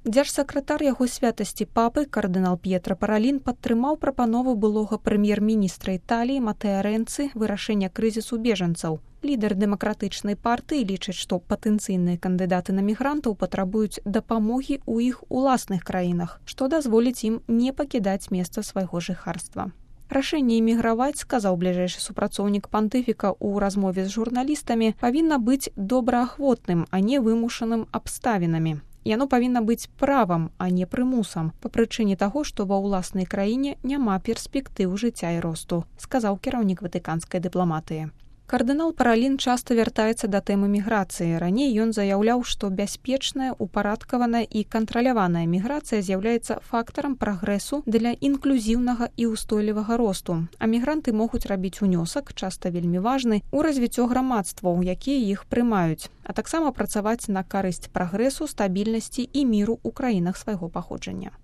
Дзяржсакратар яго святасці папы, кардынал П'етра Паралін, падтрымаў прапанову былога прэм'ер-міністра Італіі Матэа Рэнцы вырашэння крызісу бежанцаў. Лідар дэмакратычнай партыі лічыць, што патэнцыйныя кандыдаты на мігрантаў патрабуюць дапамогі ў іх уласных краінах, што дазволіць ім не пакідаць месца свайго жыхарства. Рашэнне эміграваць, сказаў бліжэйшы супрацоўнік пантыфіка ў размове з журналістамі, павінна быць добраахвотным, а не вымушаным абставінамі. Яно павінна быць правам, а не прымусам, па прычыне таго, што ва ўласнай краіне няма перспектыў жыцця і росту, сказаў кіраўнік ватыканскай дыпламатыі. Кардынал Паралін часта вяртаецца да тэмы міграцыі. Раней ён заяўляў, што бяспечная, упарадкаваная і кантраляваная міграцыя з'яўляецца фактарам прагрэсу для інклюзіўнага і ўстойлівага росту, а мігранты могуць рабіць унёсак, часта вельмі важны, у развіццё грамадстваў, якія іх прымаюць, а таксама працаваць на карысць прагрэсу, стабільнасці і міру ў краінах свайго паходжання.